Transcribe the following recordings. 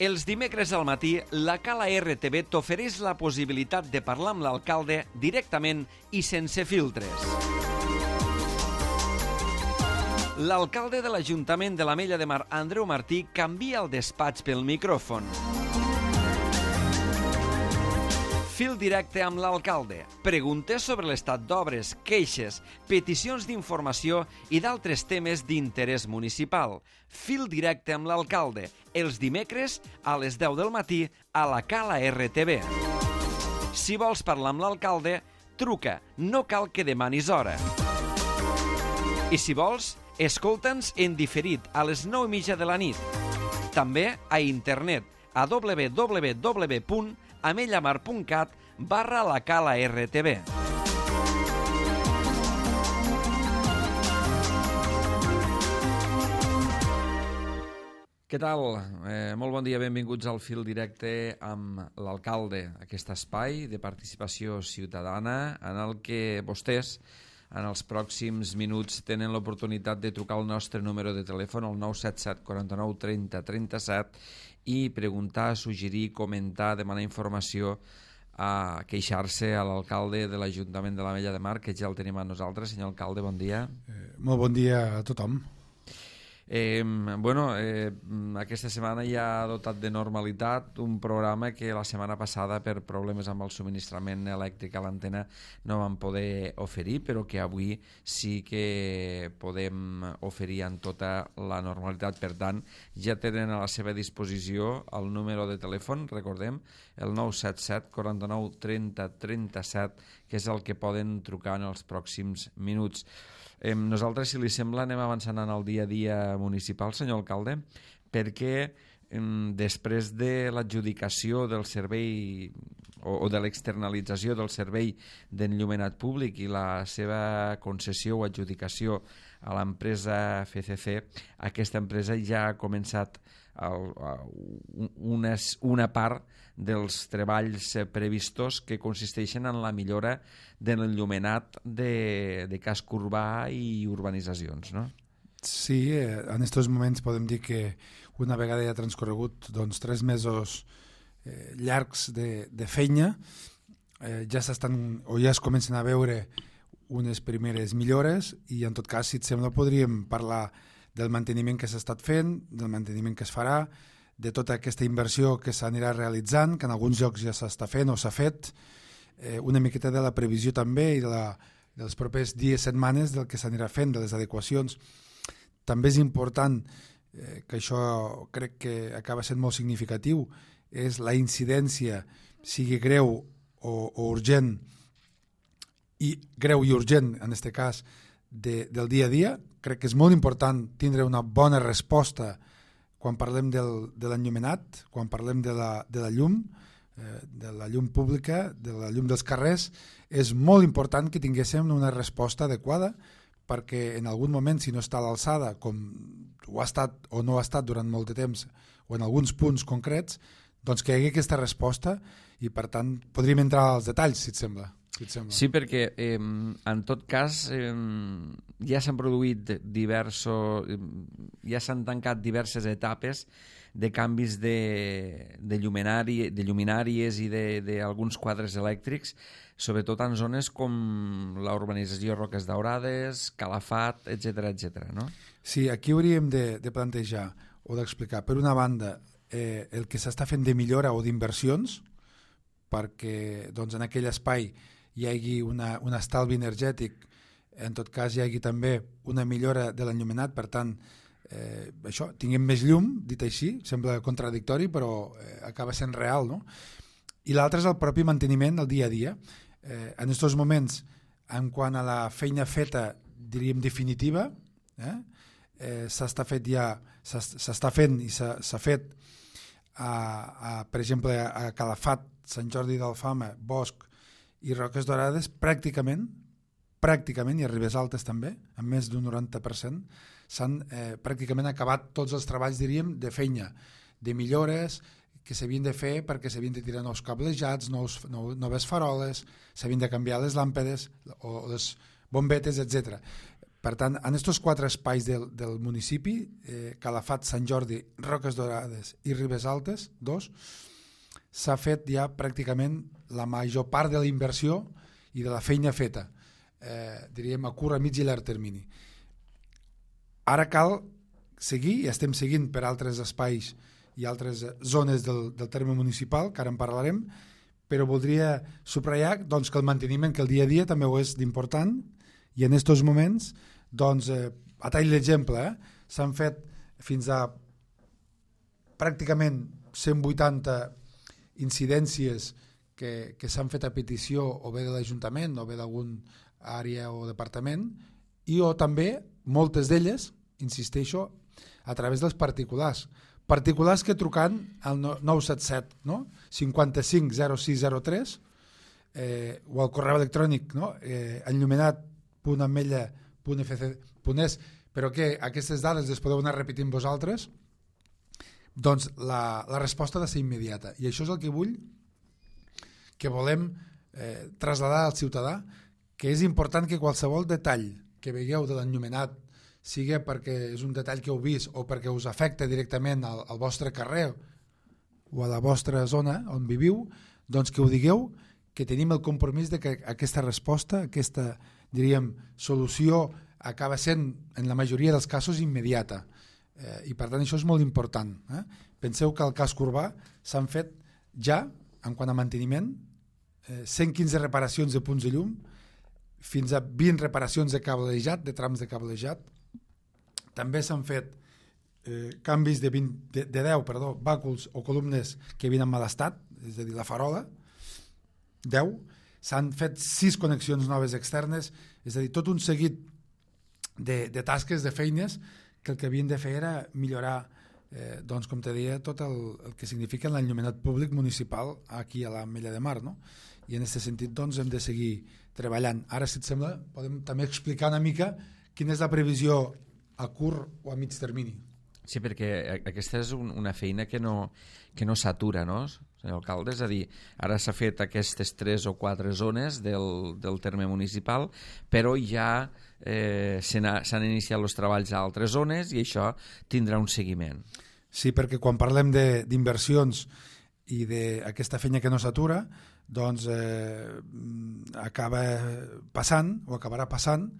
Els dimecres al matí, la Cala RTV t'ofereix la possibilitat de parlar amb l'alcalde directament i sense filtres. L'alcalde de l'Ajuntament de l'Ametlla de Mar, Andreu Martí, canvia el despatx pel micròfon. Fil directe amb l'alcalde. Preguntes sobre l'estat d'obres, queixes, peticions d'informació i d'altres temes d'interès municipal. Fil directe amb l'alcalde. Els dimecres a les 10 del matí a la Cala RTV. Si vols parlar amb l'alcalde, truca. No cal que demanis hora. I si vols, escolta'ns en diferit a les 9:30 de la nit. També a internet a www.amellamar.cat/la Cala RTV. Què tal? Molt bon dia, benvinguts al Fil Directe amb l'alcalde, aquest espai de participació ciutadana en el que vostès en els pròxims minuts tenen l'oportunitat de trucar al nostre número de telèfon, el 977 49 30 37, i preguntar, suggerir, comentar, demanar informació, a queixar-se a l'alcalde de l'Ajuntament de l'Ametlla de Mar, que ja el tenim amb nosaltres. Senyor alcalde, bon dia. Molt bon dia a tothom. Aquesta setmana ja ha dotat de normalitat un programa que la setmana passada per problemes amb el subministrament elèctric a l'antena no vam poder oferir, però que avui sí que podem oferir en tota la normalitat. Per tant, ja tenen a la seva disposició el número de telèfon, recordem, el 977 49 30 37, que és el que poden trucar en els pròxims minuts. Nosaltres, si li sembla, anem avançant en el dia a dia municipal, senyor alcalde, perquè després de l'adjudicació del servei o de l'externalització del servei d'enllumenat públic i la seva concessió o adjudicació a l'empresa FCC, aquesta empresa ja ha començat una part dels treballs previstos que consisteixen en la millora de l'enllumenat de casc urbà i urbanitzacions, no? Sí, en aquests moments podem dir que una vegada ja ha transcorregut 3 mesos llargs de feina, ja s'estan o ja es comencen a veure unes primeres millores, i en tot cas, si et sembla, podríem parlar del manteniment que s'ha estat fent, del manteniment que es farà, de tota aquesta inversió que s'anirà realitzant, que en alguns llocs ja s'està fent o s'ha fet, una miqueta de la previsió també i dels propers dies, setmanes, del que s'anirà fent, de les adequacions. També és important, que això crec que acaba sent molt significatiu, és la incidència, sigui greu o urgent, i greu i urgent, en aquest cas, del dia a dia. Crec que és molt important tindre una bona resposta quan parlem de l'enllumenat, quan parlem de la llum pública, de la llum dels carrers. És molt important que tinguéssim una resposta adequada, perquè en algun moment, si no està a l'alçada, com ho ha estat o no ha estat durant molt de temps, o en alguns punts concrets, doncs que hi hagi aquesta resposta, i per tant podríem entrar als detalls, si et sembla. Sí, perquè en tot cas ja s'han produït ja s'han tancat diverses etapes de canvis de lluminàries i d'alguns quadres elèctrics, sobretot en zones com la urbanització Roques Daurades, Calafat, etc., no? Sí, aquí hauríem de plantejar o d'explicar, per una banda, el que s'està fent de millora o d'inversions, perquè en aquell espai hi hagi un estalvi energètic, en tot cas hi hagi també una millora de l'enllumenat, per tant, això, tinguem més llum, dit així, sembla contradictori, però acaba sent real, no? I l'altre és el propi manteniment del dia a dia. En aquests moments, en quant a la feina feta, diríem definitiva, s'està fent i s'ha fet, per exemple, a Calafat, Sant Jordi d'Alfama, Bosch i Roques Daurades, pràcticament, i a Ribes Altes també, amb més d'un 90%, s'han pràcticament acabat tots els treballs, diríem, de feina, de millores que s'havien de fer, perquè s'havien de tirar nous cablejats, noves faroles, s'havien de canviar les làmpades o les bombetes, etc. Per tant, en aquests 4 espais del municipi, Calafat, Sant Jordi, Roques Dorades i Ribes Altes, 2, s'ha fet ja pràcticament la major part de la inversió i de la feina feta, diríem a curt, a mig i llarg termini. Ara cal seguir, i estem seguint per altres espais i altres zones del terme municipal, que ara en parlarem, però voldria subratllar doncs, que el manteniment, que el dia a dia també ho és d'important, i en aquests moments, doncs, a tall d'exemple, s'han fet fins a pràcticament 180 incidències que s'han fet a petició o bé de l'Ajuntament o bé d'algun àrea o departament, o també moltes d'elles, insisteixo, a través dels particulars que trucant al 977, no? 55 0603, o al correu electrònic, no? enllumenat.ametlla.fc.es, però que aquestes dades les podeu anar repetint vosaltres, doncs la resposta ha de ser immediata, i això és el que volem traslladar al ciutadà, que és important que qualsevol detall que veieu de l'enllumenat, sigui perquè és un detall que heu vist o perquè us afecta directament al vostre carrer o a la vostra zona on viviu, doncs que ho digueu, que tenim el compromís de que aquesta resposta, aquesta, diríem, solució acaba sent, en la majoria dels casos, immediata. I per tant això és molt important. Penseu que al casc urbà s'han fet ja, en quant a manteniment, 115 reparacions de punts de llum, fins a 20 reparacions de cablejat, de trams de cablejat. També s'han fet canvis de 10 bàculs o columnes que havien en mal estat, és a dir, la farola, 10. S'han fet 6 connexions noves externes, és a dir, tot un seguit de tasques, de feines, que el que havien de fer era millorar, doncs, com te deia, tot el que significa l'enllumenat públic municipal aquí a l'Ametlla de Mar, no? I en aquest sentit doncs, hem de seguir treballant. Ara, si et sembla, podem també explicar una mica quina és la previsió a curt o a mig termini. Sí, perquè aquesta és una feina que no s'atura, no, senyor alcalde? És a dir, ara s'ha fet aquestes 3 o 4 zones del terme municipal, però ja s'han iniciat els treballs a altres zones i això tindrà un seguiment. Sí, perquè quan parlem d'inversions i d'aquesta feina que no s'atura, doncs acaba passant o acabarà passant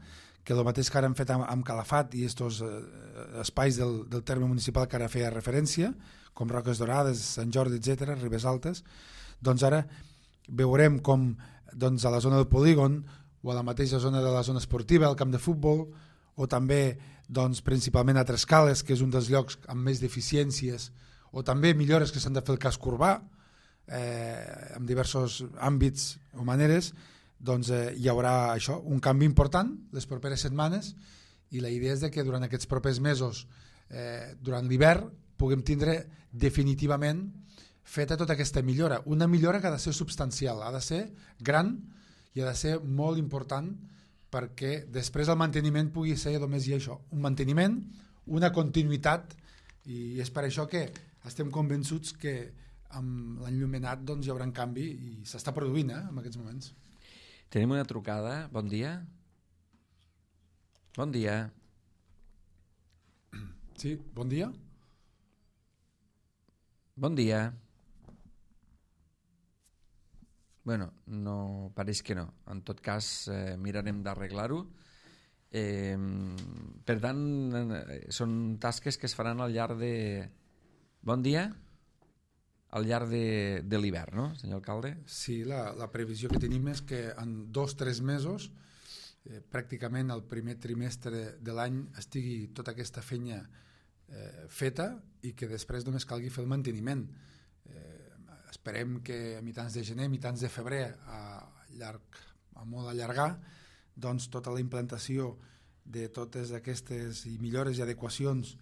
que el mateix que ara hem fet amb Calafat i aquests espais del terme municipal que ara feia referència, com Roques Dorades, Sant Jordi, etc., Ribes Altes, doncs ara veurem com doncs, a la zona del polígon o a la mateixa zona de la zona esportiva, al camp de futbol, o també doncs, principalment a Trescales, que és un dels llocs amb més deficiències, o també millores que s'han de fer al casc urbà, en diversos àmbits o maneres, doncs hi haurà això, un canvi important les properes setmanes, i la idea és que durant aquests propers mesos, durant l'hivern, puguem tindre definitivament feta tota aquesta millora. Una millora que ha de ser substancial, ha de ser gran i ha de ser molt important perquè després el manteniment pugui ser només això, un manteniment, una continuïtat, i és per això que estem convençuts que amb l'enllumenat doncs, hi haurà un canvi i s'està produint en aquests moments. Tenim una trucada. Bon dia. Bon dia. Sí, bon dia. Bon dia. Bueno, no, pareix que no. En tot cas, mirarem d'arreglar-ho. Per tant, són tasques que es faran al llarg de... Bon dia? Al llarg de l'hivern, no, senyor alcalde? Sí, la previsió que tenim és que en 2 o 3 mesos, pràcticament el primer trimestre de l'any, estigui tota aquesta feina feta i que després només calgui fer el manteniment. Esperem que a mitjans de gener, mitjans de febrer, a molt allargar, doncs tota la implantació de totes aquestes millores i adequacions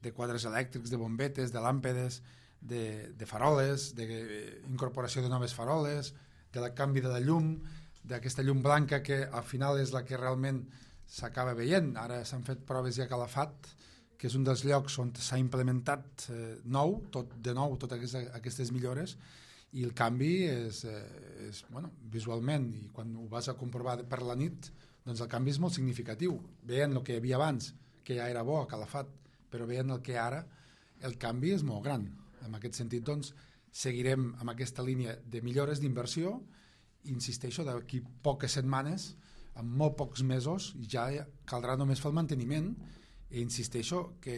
de quadres elèctrics, de bombetes, de làmpades, de faroles, d'incorporació de noves faroles, del canvi de la llum, d'aquesta llum blanca que al final és la que realment s'acaba veient. Ara s'han fet proves ja a Calafat, que és un dels llocs on s'ha implementat totes aquestes millores, i el canvi és bueno, visualment, i quan ho vas a comprovar per la nit, doncs el canvi és molt significatiu. Veient el que hi havia abans, que ja era bo, calafat, però veient el que ara, el canvi és molt gran. En aquest sentit, doncs, seguirem amb aquesta línia de millores d'inversió. Insisteixo, d'aquí poques setmanes, en molt pocs mesos, ja caldrà només fer el manteniment, i insisteixo que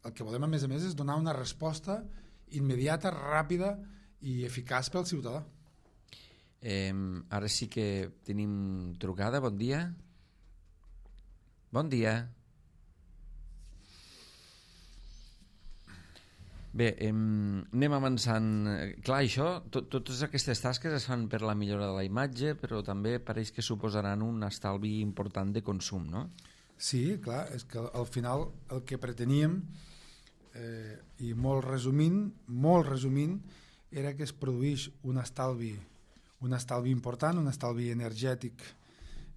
el que volem a més és donar una resposta immediata, ràpida i eficaç pel ciutadà. Ara sí que tenim trucada. Bon dia. Bon dia. Bé, anem avançant. Clar, això, totes aquestes tasques es fan per la millora de la imatge, però també pareix que suposaran un estalvi important de consum, no? Sí, clar, és que al final el que preteníem, i molt resumint, era que es produís un estalvi important, un estalvi energètic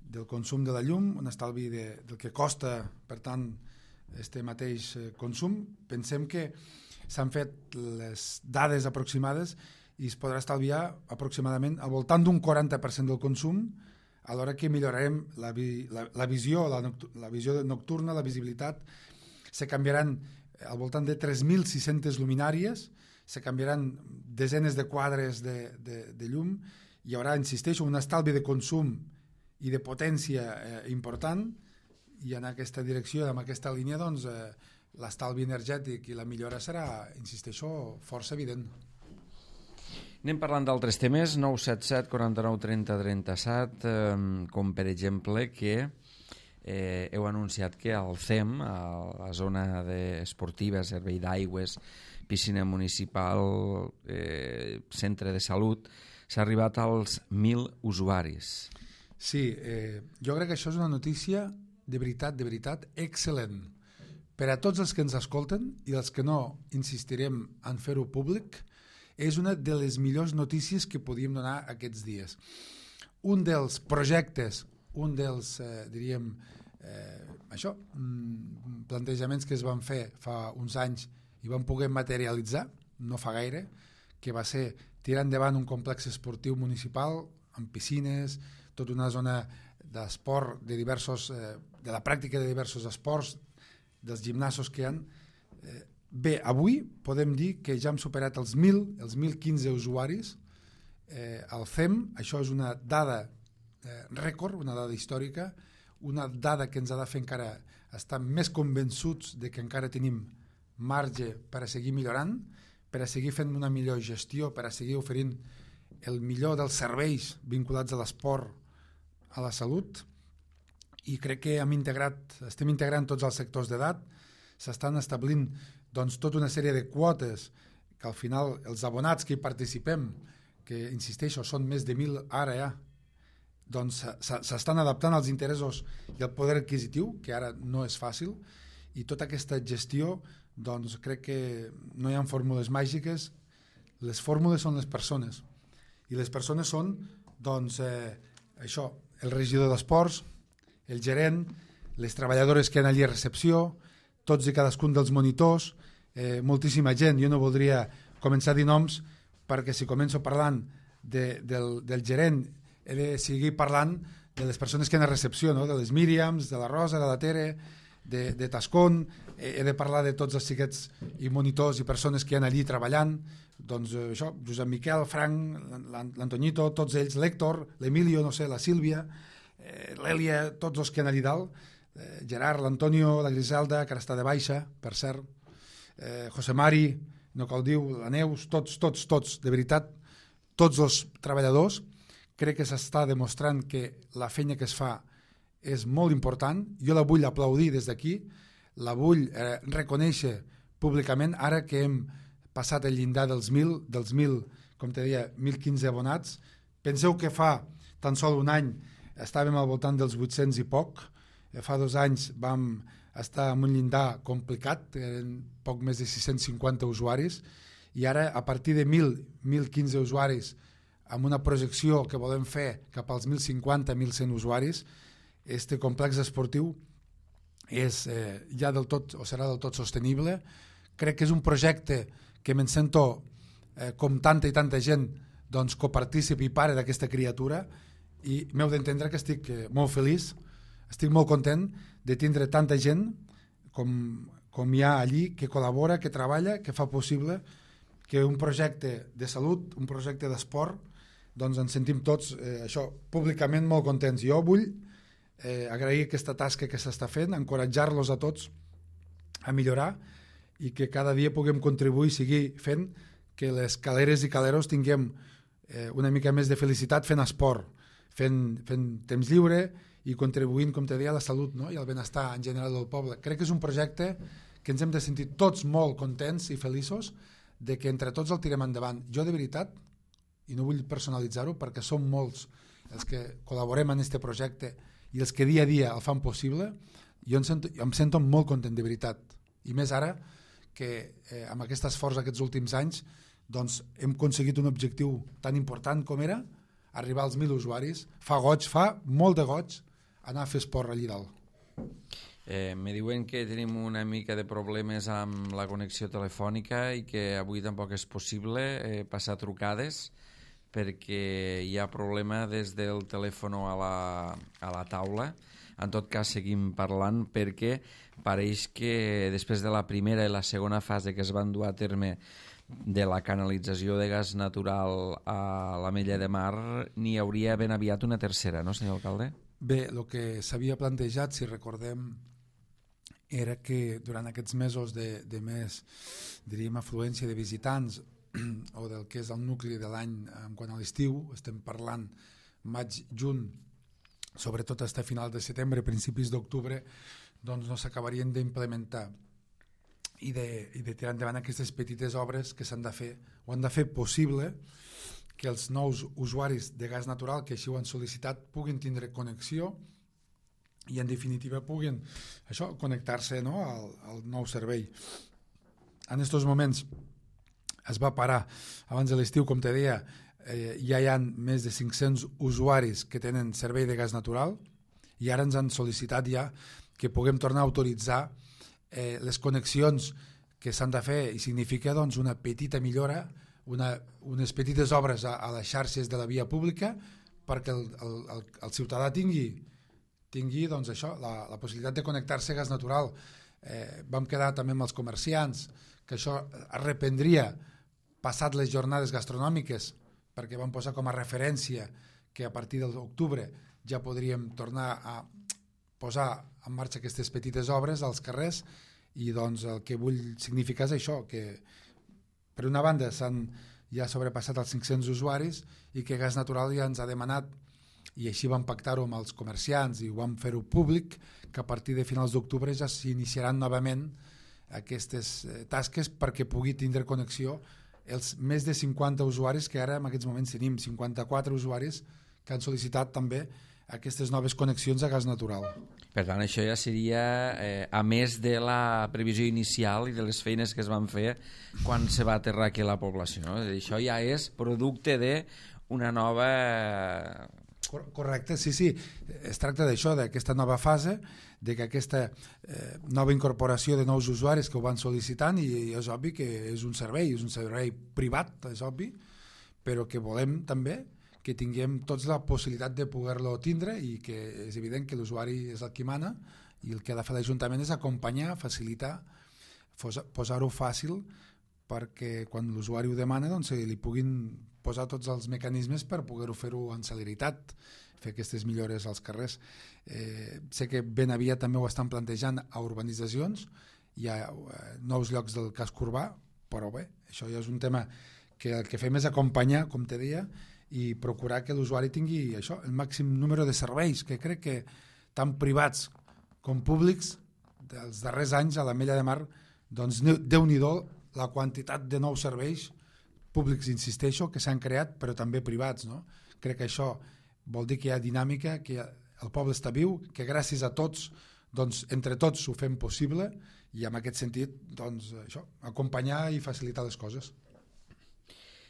del consum de la llum, un estalvi del que costa, per tant, este mateix consum. Pensem que s'han fet les dades aproximades i es podrà estalviar aproximadament al voltant d'un 40% del consum, alhora que millorarem la visió nocturna, la visibilitat. Se canviaran al voltant de 3.600 luminàries, se canviaran desenes de quadres de llum, hi haurà, insisteixo, un estalvi de consum i de potència important, i en aquesta direcció, en aquesta línia, doncs, l'estalvi energètic i la millora serà, insisteixo, força evident. Anem parlant d'altres temes. 977 49 30 37, com per exemple que heu anunciat que al CEM, a la zona esportiva, servei d'aigües, piscina municipal, centre de salut, s'ha arribat als 1.000 usuaris. Sí, jo crec que això és una notícia de veritat, excel·lent. Per a tots els que ens escolten i els que no insistirem en fer-ho públic, és una de les millors notícies que podíem donar aquests dies. Un dels projectes, un dels, plantejaments que es van fer fa uns anys i van poder materialitzar, no fa gaire, que va ser tirar endavant un complex esportiu municipal amb piscines, tota una zona d'esport, de la pràctica de diversos esports, dels gimnasos que hi ha. Bé, avui podem dir que ja hem superat els 1.015 usuaris al CEM. Això és una dada rècord, una dada històrica, una dada que ens ha de fer encara estar més convençuts de que encara tenim marge per a seguir millorant, per a seguir fent una millor gestió, per a seguir oferint el millor dels serveis vinculats a l'esport, a la salut, i crec que estem integrant tots els sectors d'edat, s'estan establint doncs, tota una sèrie de quotes que al final els abonats que hi participem, que insisteixo són més de 1.000 ara ja, doncs s'estan adaptant als interessos i al poder adquisitiu, que ara no és fàcil, i tota aquesta gestió, doncs crec que no hi ha fórmules màgiques, les fórmules són les persones, i les persones són, doncs, això, el regidor d'esports, el gerent, les treballadores que hi ha allí a recepció, tots i cadascun dels monitors, moltíssima gent. Jo no voldria començar a dir noms perquè si començo parlant del gerent he de seguir parlant de les persones que hi ha a recepció, no? De les Míriams, de la Rosa, de la Tere, de Tascón, he de parlar de tots els xiquets i monitors i persones que hi ha allí treballant, doncs això, Josep Miquel, Frank, l'Antoñito, tots ells, l'Héctor, l'Emilio, no sé, la Sílvia, l'Èlia, tots els que hi ha allí dalt, Gerard, l'Antonio, la Griselda, que ara està de baixa, per cert, José Mari, no cal dir, la Neus, tots, de veritat, tots els treballadors. Crec que s'està demostrant que la feina que es fa és molt important. Jo la vull aplaudir des d'aquí, la vull reconèixer públicament, ara que hem passat el llindar dels 1.000, com te deia, 1.015 abonats. Penseu que fa tan sol un any estàvem al voltant dels 800 i poc, fa 2 anys vam estar en un llindar complicat, eren poc més de 650 usuaris, i ara a partir de 1.015 usuaris, amb una projecció que volem fer cap als 1.050-1.100 usuaris, este complex esportiu és ja del tot, o serà del tot sostenible. Crec que és un projecte que me'n sento com tanta i tanta gent doncs, copartícip i pare d'aquesta criatura, i m'heu d'entendre que estic molt feliç estic molt content de tindre tanta gent com hi ha allí, que col·labora, que treballa, que fa possible que un projecte de salut, un projecte d'esport, doncs ens sentim tots això públicament molt contents. Jo vull agrair aquesta tasca que s'està fent, encoratjar-los a tots a millorar i que cada dia puguem contribuir i seguir fent que les caleres i caleros tinguem una mica més de felicitat fent esport, fent temps lliure i contribuint, com te deia, a la salut, no? I al benestar en general del poble. Crec que és un projecte que ens hem de sentir tots molt contents i feliços de que entre tots el tirem endavant. Jo, de veritat, i no vull personalitzar-ho perquè som molts els que col·laborem en aquest projecte i els que dia a dia el fan possible, jo em sento molt content, de veritat. I més ara que amb aquest esforç aquests últims anys doncs hem aconseguit un objectiu tan important com era arribar als 1.000 usuaris. Fa molt de goig anar a fer esport allí dalt. Me diuen que tenim una mica de problemes amb la connexió telefònica i que avui tampoc és possible passar trucades perquè hi ha problema des del telèfon a la taula. En tot cas seguim parlant perquè pareix que després de la primera i la segona fase que es van dur a terme de la canalització de gas natural a l'Ametlla de Mar n'hi hauria ben aviat una tercera, no, senyor alcalde? Bé, el que s'havia plantejat, si recordem, era que durant aquests mesos de més, diríem, afluència de visitants o del que és el nucli de l'any quant a l'estiu, estem parlant maig, juny, sobretot fins a final de setembre, principis d'octubre, doncs no s'acabarien d'implementar i de tirar endavant aquestes petites obres que s'han de fer o han de fer possible que els nous usuaris de gas natural que així ho han sol·licitat puguin tindre connexió i en definitiva puguin connectar-se, no, al nou servei. En aquests moments es va parar abans de l'estiu, com te deia, ja hi ha més de 500 usuaris que tenen servei de gas natural i ara ens han sol·licitat ja que puguem tornar a autoritzar les connexions que s'han de fer i significa doncs, una petita millora, unes petites obres a les xarxes de la via pública perquè el ciutadà tingui doncs, això, la possibilitat de connectar-se a gas natural. Vam quedar també amb els comerciants que això es reprendria passat les jornades gastronòmiques perquè vam posar com a referència que a partir de l'octubre ja podríem tornar a posar en marxa aquestes petites obres als carrers i doncs el que vull significar és això, que per una banda s'han ja sobrepassat els 500 usuaris i que Gas Natural ja ens ha demanat i així vam pactar-ho amb els comerciants i ho vam fer-ho públic que a partir de finals d'octubre ja s'iniciaran novament aquestes tasques perquè pugui tindre connexió els més de 50 usuaris que ara en aquests moments tenim, 54 usuaris que han sol·licitat també aquestes noves connexions a gas natural. Per tant, això ja seria a més de la previsió inicial i de les feines que es van fer quan se va aterrar aquí a la població, no? Això ja és producte d'una nova... Correcte, sí. Es tracta d'això, d'aquesta nova fase, de que aquesta nova incorporació de nous usuaris que ho van sol·licitant i és obvi que és un servei privat, és obvi, però que volem també que tinguem tots la possibilitat de poder-lo tindre i que és evident que l'usuari és el qui mana i el que ha de fer l'Ajuntament és acompanyar, facilitar, posar-ho fàcil perquè quan l'usuari ho demana doncs, li puguin posar tots els mecanismes per poder-ho fer-ho amb celeritat, fer aquestes millores als carrers. Sé que ben aviat també ho estan plantejant a urbanitzacions, hi ha nous llocs del casc urbà, però bé, això ja és un tema que el que fem és acompanyar, com te deia, i procurar que l'usuari tingui això, el màxim número de serveis, que crec que tant privats com públics dels darrers anys a l'Ametlla de Mar, doncs Déu-n'hi-do la quantitat de nous serveis públics, insisteixo, que s'han creat, però també privats, no? Crec que això vol dir que hi ha dinàmica, que el poble està viu, que gràcies a tots, doncs, entre tots ho fem possible i en aquest sentit, doncs, això, acompanyar i facilitar les coses.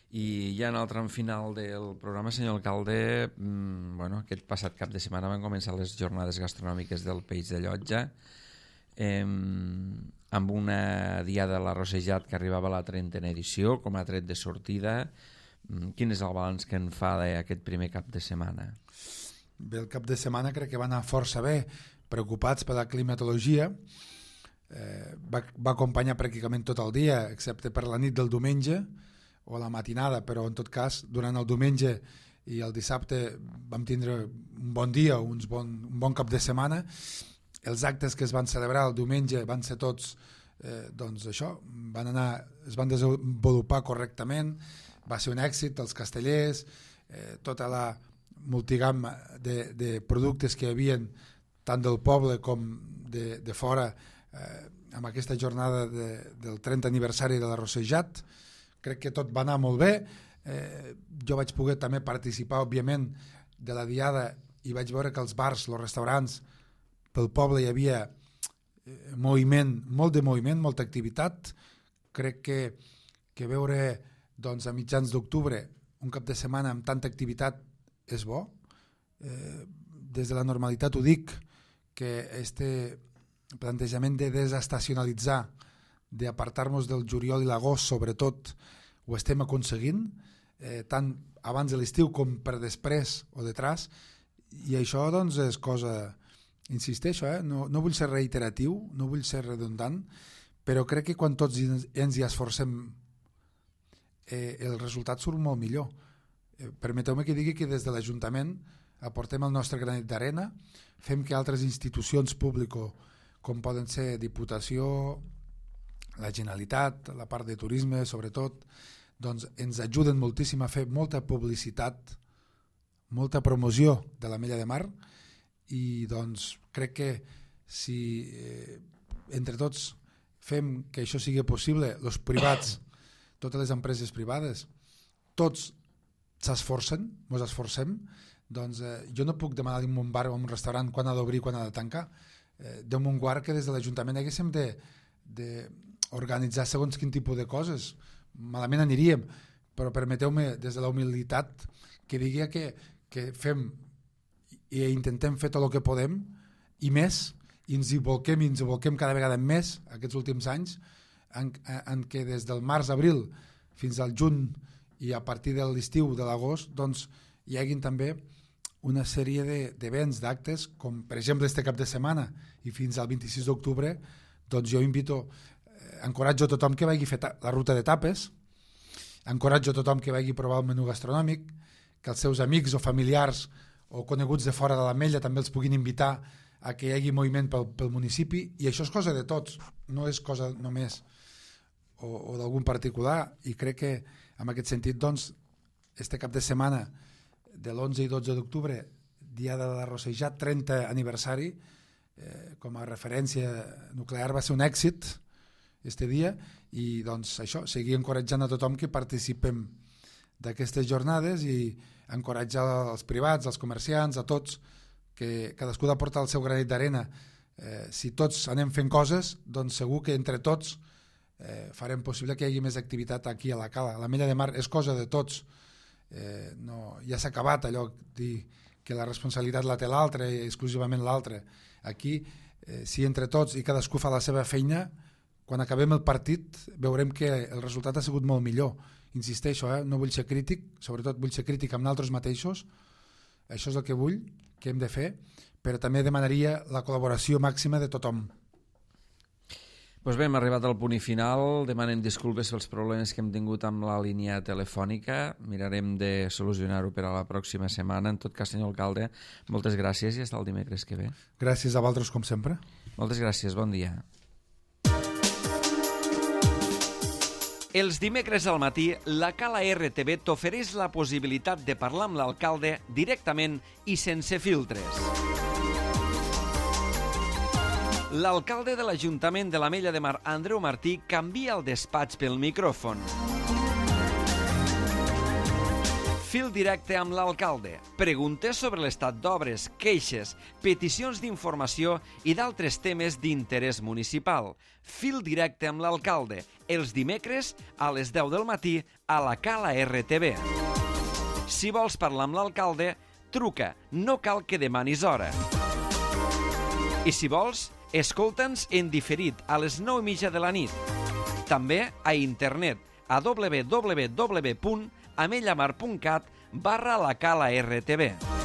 I ja en el tram final del programa, senyor alcalde, aquest passat cap de setmana van començar les jornades gastronòmiques del Peix de Llotja amb una diada de l'Arrossejat que arribava a la 30a edició com a tret de sortida. Quin és el balanç que en fa d'aquest primer cap de setmana? Bé, el cap de setmana crec que va anar força bé, preocupats per la climatologia. Va acompanyar pràcticament tot el dia, excepte per la nit del diumenge o la matinada, però en tot cas durant el diumenge i el dissabte vam tindre un bon dia, un bon cap de setmana. Els actes que es van celebrar el diumenge van ser tots doncs això, es van desenvolupar correctament, va ser un èxit, els castellers, tota la multigamma de productes que hi havia tant del poble com de fora amb aquesta jornada del 30 aniversari de l'Arrossejat. Crec que tot va anar molt bé. Jo vaig poder també participar, òbviament, de la diada i vaig veure que els bars, els restaurants, pel poble hi havia molt de moviment, molta activitat. Crec que veure doncs, a mitjans d'octubre un cap de setmana amb tanta activitat és bo. Des de la normalitat ho dic, que este plantejament de desestacionalitzar, d'apartar-nos del juliol i l'agost sobretot, ho estem aconseguint, tant abans de l'estiu com per després o detrás, i això doncs és cosa, insisteixo, no vull ser reiteratiu, no vull ser redundant, però crec que quan tots ens hi esforcem el resultat surt molt millor. Permeteu-me que digui que des de l'Ajuntament aportem el nostre granet d'arena, fem que altres institucions públiques com poden ser Diputació, la Generalitat, la part de turisme sobretot, doncs ens ajuden moltíssim a fer molta publicitat, molta promoció de l'Ametlla de Mar, i doncs crec que si entre tots fem que això sigui possible, els privats, totes les empreses privades, tots s'esforcen, ens esforcem, doncs jo no puc demanar d'un un bar o un restaurant quan ha d'obrir i quan ha de tancar. Déu me'n guard que des de l'Ajuntament haguéssim d'organitzar segons quin tipus de coses. Malament aniríem, però permeteu-me des de la humilitat que digui que fem i intentem fer tot el que podem i més, i ens hi volquem cada vegada més aquests últims anys, en què des del març-abril fins al juny i a partir de l'estiu de l'agost doncs hi haguin també una sèrie d'events, d'actes, com per exemple este cap de setmana i fins al 26 d'octubre, doncs jo encoratjo a tothom que vagi fer la ruta de tapes, encoratjo a tothom que vagi provar el menú gastronòmic, que els seus amics o familiars o coneguts de fora de l'Ametlla també els puguin invitar a que hi hagi moviment pel municipi, i això és cosa de tots, no és cosa només o d'algun particular, i crec que en aquest sentit doncs este cap de setmana de l'11 i 12 d'octubre, dia de l'Arrossejat, 30 aniversari, com a referència nuclear va ser un èxit este dia, i doncs això, seguir encoratjant a tothom que participem d'aquestes jornades i encoratjar els privats, els comerciants, a tots, que cadascú ha de portar el seu granet d'arena. Si tots anem fent coses, doncs segur que entre tots farem possible que hi hagi més activitat aquí a la Cala. L'Ametlla de Mar és cosa de tots. Ja s'ha acabat allò dir que la responsabilitat la té l'altre i exclusivament l'altre. Aquí, si entre tots i cadascú fa la seva feina, quan acabem el partit veurem que el resultat ha sigut molt millor. Insisteixo, no vull ser crític, sobretot vull ser crític amb nosaltres mateixos. Això és el que vull, que hem de fer, però també demanaria la col·laboració màxima de tothom. Doncs bé, hem arribat al punt i final. Demanem disculpes pels problemes que hem tingut amb la línia telefònica. Mirarem de solucionar-ho per a la pròxima setmana. En tot cas, senyor alcalde, moltes gràcies i fins el dimecres que ve. Gràcies a vosaltres, com sempre. Moltes gràcies, bon dia. Els dimecres al matí, la Cala RTV t'ofereix la possibilitat de parlar amb l'alcalde directament i sense filtres. L'alcalde de l'Ajuntament de l'Ametlla de Mar, Andreu Martí, canvia el despatx pel micròfon. Fil directe amb l'alcalde. Preguntes sobre l'estat d'obres, queixes, peticions d'informació i d'altres temes d'interès municipal. Fil directe amb l'alcalde. Els dimecres a les 10 del matí a la Cala RTV. Si vols parlar amb l'alcalde, truca. No cal que demanis hora. I si vols, escolta'ns en diferit a les 9:30 de la nit. També a internet a www.amellamar.cat/la Cala RTV.